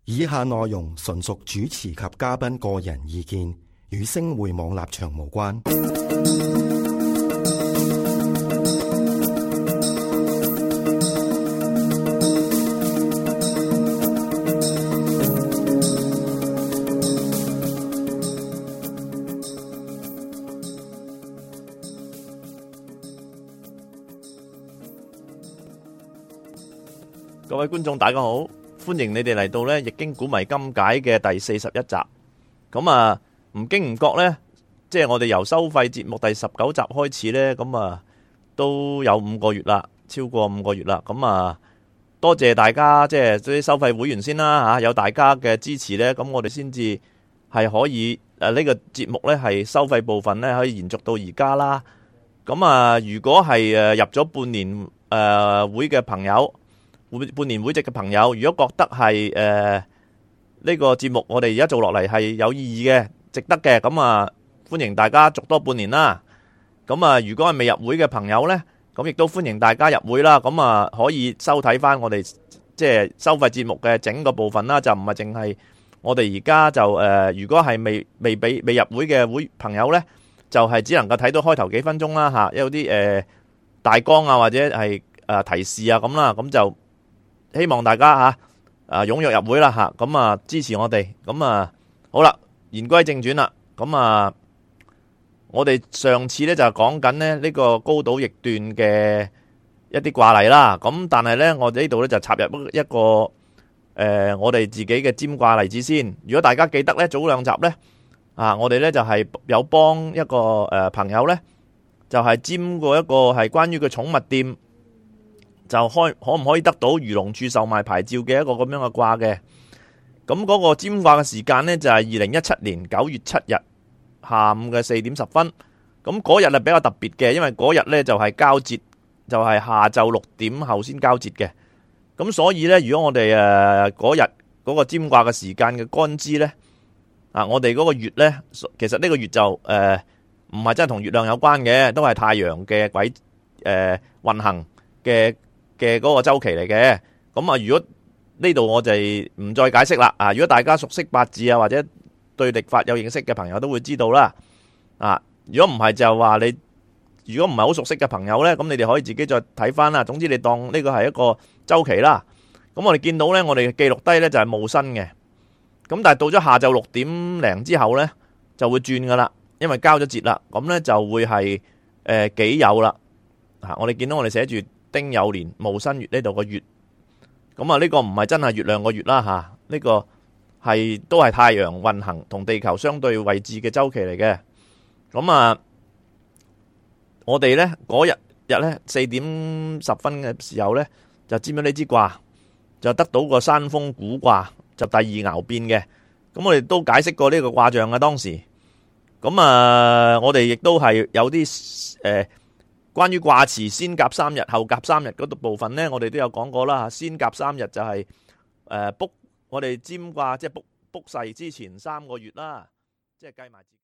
以下內容純屬主持及嘉賓個人意見，與星匯網立場無關。各位觀眾大家好，歡迎你哋嚟到咧《易經古謎今解》嘅第41集。咁啊，唔經唔覺咧，即係我哋由收費節目第19集開始咧，咁啊都有5個月啦，超過5個月啦。咁啊，多謝大家即係啲收費會員先啦吓，有大家嘅支持咧，咁我哋先至係可以呢個節目咧係收費部分咧可以延續到而家啦。咁啊，如果係入咗半年會嘅朋友，半年會籍嘅朋友，如果覺得係呢個節目我哋而家做落嚟係有意義嘅、值得嘅，咁啊歡迎大家續多半年啦。咁啊，如果係未入會嘅朋友呢，咁亦都歡迎大家入會啦。咁啊可以收睇翻我哋即係收費節目嘅整個部分啦，就唔係淨係我哋而家就如果係未入會嘅朋友呢，就係只能夠睇到開頭幾分鐘啦嚇，有啲大綱啊或者係提示啊咁啦，咁就希望大家踴躍入會啦吓，咁啊支持我哋，咁啊好啦，言歸正傳啦，咁啊我哋上次咧就講緊咧呢個高島易斷嘅一啲卦例啦，咁但係咧我哋呢度咧就插入一個我哋自己嘅占卦例子先。如果大家記得咧早2集咧我哋咧就係有幫一個朋友咧就係占過一個係關於個寵物店。就可唔可以得到漁農處售賣牌照嘅一個咁樣嘅卦嘅。咁嗰個占卦嘅時間呢，就係2017年9月7日下午嘅4點10分。咁嗰日係比較特別嘅，因為嗰日呢就係交接，就係下晝6點後先交接嘅。咁所以呢，如果我哋嗰日嗰個占卦嘅時間嘅干支呢，我哋嗰個月呢，其實呢個月就唔係真係同月亮有關嘅，都係太陽嘅軌運行嘅嗰個周期嚟嘅。咁啊，如果呢度我就唔再解釋啦。如果大家熟悉八字或者對曆法有認識嘅朋友都會知道啦。如果唔係就話你，如果唔係好熟悉嘅朋友呢，咁你哋可以自己再睇翻啦。總之你當呢個係一個周期啦。咁我哋見到呢，我哋記錄低呢就係戊申嘅。咁但係到咗下晝6點零之後呢，就會轉噶啦，因為交咗節啦。咁呢就會係己酉啦。我哋見到我哋寫住丁酉年戊申月呢度個月，咁啊呢個唔係真係月亮個月啦吓，呢個係都係太陽運行同地球相對位置嘅周期嚟嘅。咁啊，我哋呢嗰日呢4點10分嘅時候呢，就占咗呢支卦，就得到個山風蠱卦，就第二爻變嘅。咁我哋都解釋過呢個卦象嘅當時。咁啊，我哋亦都係有啲關於卦辭先甲3日後甲3日嗰度部分呢，我哋都有講過啦。先甲3日就係卜我哋占卦，即係卜世之前3個月啦，即係計埋。